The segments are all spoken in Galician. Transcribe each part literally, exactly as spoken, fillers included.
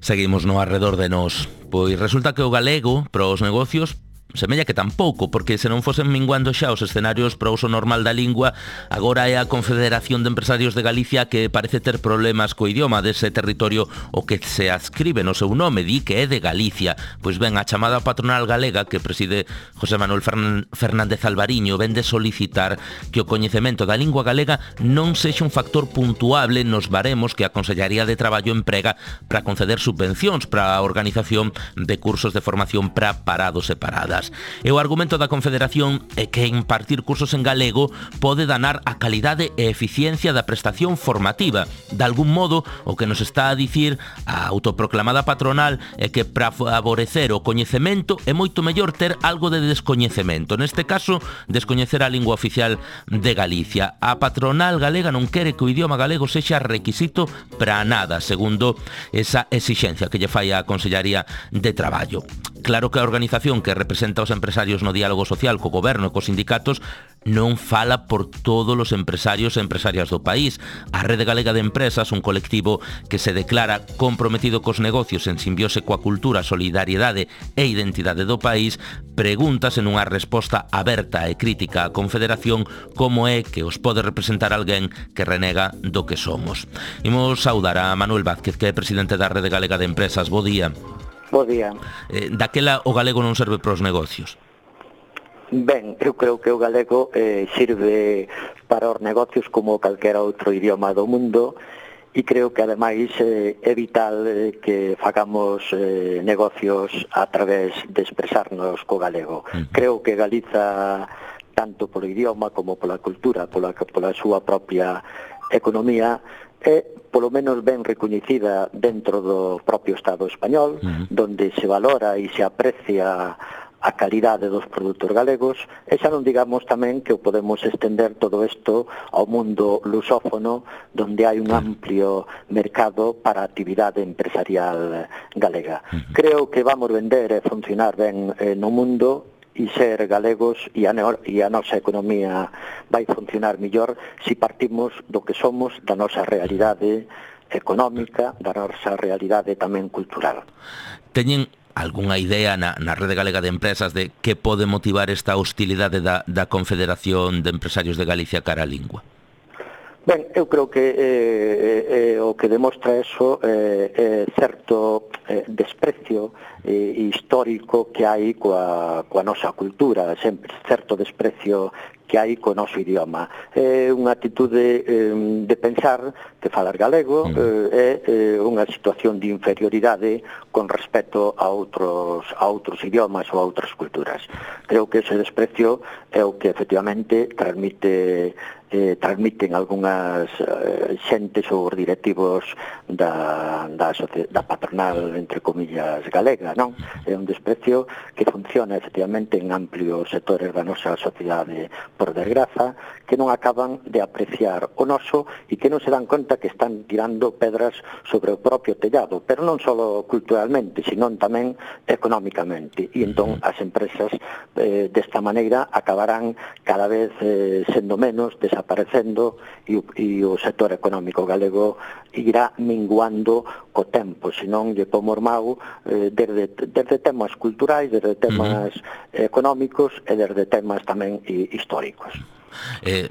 Seguimos no arredor de nós. Pois resulta que o galego, para os negocios, semella que tampouco, porque se non fosen minguando xa os escenarios para o uso normal da lingua, agora é a Confederación de Empresarios de Galicia que parece ter problemas co idioma dese territorio o que se adscribe no seu nome, di que é de Galicia. Pois ben, a chamada patronal galega que preside José Manuel Fernández Alvariño vende solicitar que o coñecemento da lingua galega non sexa un factor puntuable nos baremos que a Consellaría de Traballo emprega para conceder subvencións para a organización de cursos de formación para parados e paradas. E o argumento da Confederación é que impartir cursos en galego pode danar a calidade e eficiencia da prestación formativa. De algún modo, o que nos está a dicir a autoproclamada patronal é que para favorecer o coñecemento é moito mellor ter algo de descoñecemento. Neste caso, descoñecer a lingua oficial de Galicia. A patronal galega non quere que o idioma galego sexa requisito para nada, segundo esa exixencia que lle fai a Consellaría de Traballo. Claro que a organización que representa os empresarios no diálogo social co goberno e cos sindicatos non fala por todos os empresarios e empresarias do país. A Rede Galega de Empresas, un colectivo que se declara comprometido cos negocios en simbiose coa cultura, solidariedade e identidade do país, pregúntase nunha resposta aberta e crítica á Confederación como é que os pode representar alguén que renega do que somos. Imos saudar a Manuel Vázquez, que é presidente da Rede Galega de Empresas. Bo día. Bo día. Eh, daquela o galego non serve para os negocios? Ben, eu creo que o galego eh, sirve para os negocios como calquera outro idioma do mundo e creo que ademais eh, é vital eh, que fagamos eh, negocios a través de expresarnos co galego. Uh-huh. Creo que Galiza, tanto polo idioma como pola cultura, pola, pola súa propia economía, é polo menos ben recoñecida dentro do propio Estado español, uh-huh. donde se valora e se aprecia a calidade dos produtos galegos, e xa non digamos tamén que o podemos estender todo isto ao mundo lusófono, donde hai un amplio mercado para a actividade empresarial galega. Uh-huh. Creo que vamos vender e funcionar ben eh, no mundo e ser galegos e a, no, e a nosa economía vai funcionar mellor se partimos do que somos, da nosa realidade económica, da nosa realidade tamén cultural. Teñen algunha idea na, na Rede Galega de Empresas de que pode motivar esta hostilidade da, da Confederación de Empresarios de Galicia cara á lingua? Ben, eu creo que eh, eh, o que demostra eso é eh, eh, certo eh, desprecio eh, histórico que hai coa, coa nosa cultura, sempre certo desprecio que hai co noso idioma. É unha atitude eh, de pensar que falar galego eh, é eh, unha situación de inferioridade con respecto a outros, a outros idiomas ou a outras culturas. Creo que ese desprecio é o que efectivamente transmite eh, transmiten algunhas eh, xentes ou directivos da, da, da patronal, entre comillas, galega, non? É un desprecio que funciona efectivamente en amplios sectores da nosa sociedade, por desgraza, que non acaban de apreciar o noso e que non se dan conta que están tirando pedras sobre o propio tellado, pero non só culturalmente, sino tamén económicamente. E entón as empresas eh, desta maneira acabarán cada vez eh, sendo menos, desaparecendo e, e o sector económico galego irá minguando co tempo, senón lle pomos mau eh, desde, desde temas culturais, desde temas uh-huh. económicos e desde temas tamén históricos. Eh,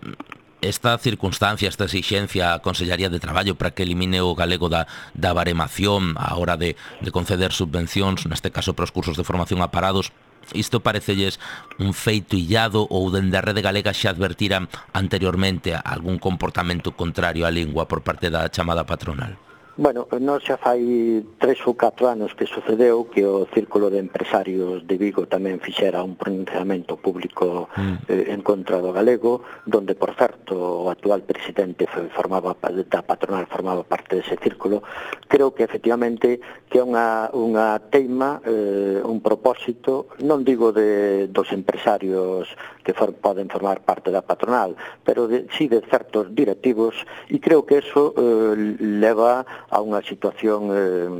esta circunstancia, esta exixencia a Consellaría de Traballo para que elimine o galego da, da baremación a hora de, de conceder subvencións, neste caso para os cursos de formación a parados, isto parecelles un feito illado ou dende a Rede Galega xa advertiran anteriormente algún comportamento contrario á lingua por parte da chamada patronal? Bueno, non xa fai tres ou catro anos que sucedeu que o Círculo de Empresarios de Vigo tamén fixera un pronunciamento público mm. eh, en contra do galego, donde, por certo, o actual presidente formaba da patronal formaba parte dese círculo. Creo que, efectivamente, que é unha, unha teima, eh, un propósito, non digo de, dos empresarios que for, poden formar parte da patronal, pero de, sí de certos directivos, e creo que eso eh, leva a unha situación eh,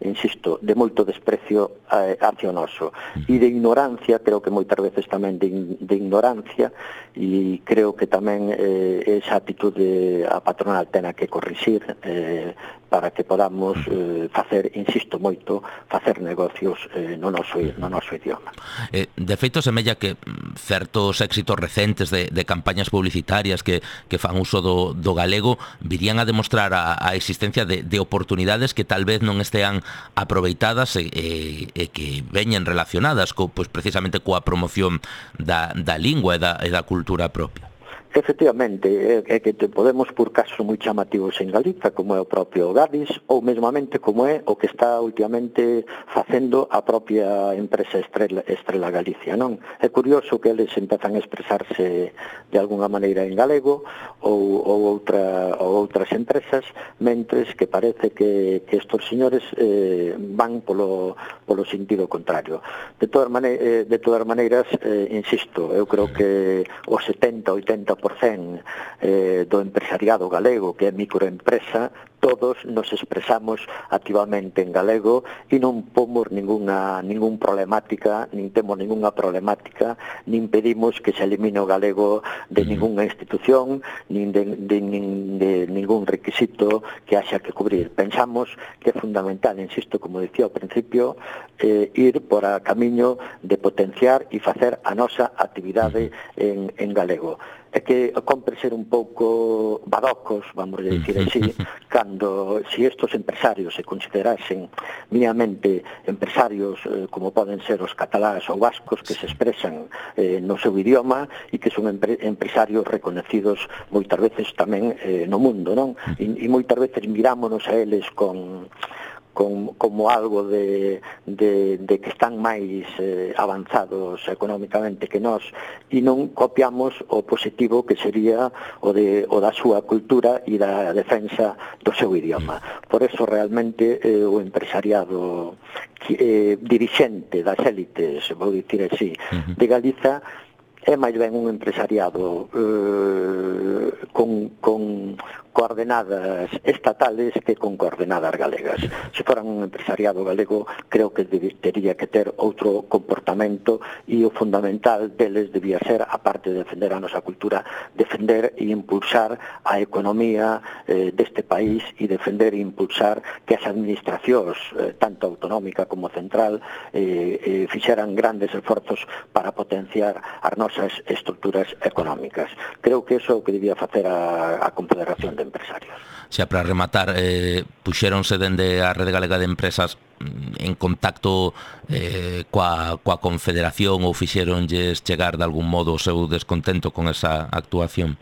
insisto, de moito desprecio eh, hacia o noso, e de ignorancia, creo que moitas veces tamén de, de ignorancia, e creo que tamén eh, esa actitude a patronal tena que corrixir eh, para que podamos eh, facer, insisto moito, facer negocios eh, no, noso, no noso idioma. Eh, de feito, semella que certos éxitos recentes de, de campañas publicitarias que, que fan uso do, do galego virían a demostrar a, a existencia de, de oportunidades que tal vez non estean aproveitadas e, e, e que veñen relacionadas co, pues, precisamente coa promoción da, da lingua e da, e da cultura propia. Efectivamente, é que te podemos por casos moi chamativos en Galiza, como é o propio Gadis, ou mesmamente como é o que está últimamente facendo a propia empresa Estrela, Estrela Galicia, non? É curioso que eles empezan a expresarse de alguna maneira en galego ou, ou, outra, ou outras empresas, mentres que parece que, que estos señores eh, van polo, polo sentido contrario. De todas maneiras, de todas maneiras eh, insisto, eu creo que o setenta a oitenta por cento eh, do empresariado galego, que é microempresa, todos nos expresamos activamente en galego e non pomos ninguna, ningún problemática, nin temos ninguna problemática, nin pedimos que se elimine o galego de ninguna institución, nin de, de, nin de ningún requisito que haxa que cubrir. Pensamos que é fundamental, insisto, como dicía ao principio, eh, ir por a camiño de potenciar e facer a nosa actividade en, en galego. É que compre ser un pouco badocos, vamos a dicir así, cando si estos empresarios se considerasen mínamente empresarios eh, como poden ser os catalás ou vascos que se expresan eh, no seu idioma e que son empre empresarios reconocidos moitas veces tamén eh, no mundo, non? E, e moitas veces mirámonos a eles con... Como, como algo de, de, de que están máis eh, avanzados económicamente que nós e non copiamos o positivo que sería o, de, o da súa cultura e da defensa do seu idioma. Por eso realmente eh, o empresariado eh, dirixente das élites, vou dicir así, de Galiza é máis ben un empresariado eh, con, con coordenadas estatales que con coordenadas galegas. Se foran un empresariado galego, creo que teria que ter outro comportamento e o fundamental deles debía ser, aparte de defender a nosa cultura, defender e impulsar a economía eh, deste país e defender e impulsar que as administracións, eh, tanto autonómica como central, eh, eh, fixeran grandes esforzos para potenciar as nosas estruturas económicas. Creo que eso é o que debía facer a, a Confederación de Empresarios. Xa, para rematar, eh, puxéronse dende a Rede Galega de Empresas en contacto eh, coa, coa Confederación ou fixéronlles chegar de algún modo o seu descontento con esa actuación?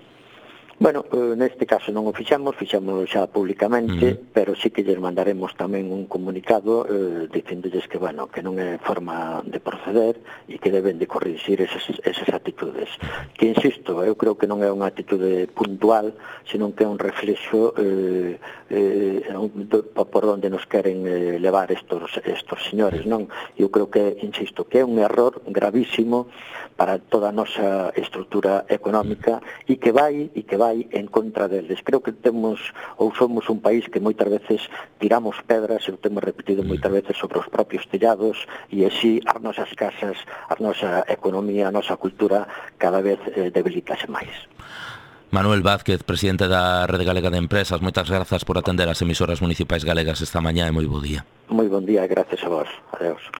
Bueno, eh, neste caso non o fixamos, fixamos xa públicamente, uh-huh. pero sí que lles mandaremos tamén un comunicado eh, dicindolles que, bueno, que non é forma de proceder e que deben de corrixir esas, esas actitudes. Que, insisto, eu creo que non é unha actitude puntual, senón que é un reflexo eh, eh, por onde nos queren eh, levar estos, estos señores, non? Eu creo que, insisto, que é un error gravísimo para toda a nosa estrutura económica e que vai e que vai en contra deles. Creo que temos ou somos un país que moitas veces tiramos pedras, e o temos repetido moitas veces sobre os propios tellados, e así as nosas casas, a nosa economía, a nosa cultura cada vez eh, debilítase máis. Manuel Vázquez, presidente da Rede Galega de Empresas, moitas grazas por atender as emisoras municipais galegas esta mañá e moi bo día. Moi bon día, gracias a vos. Adeus.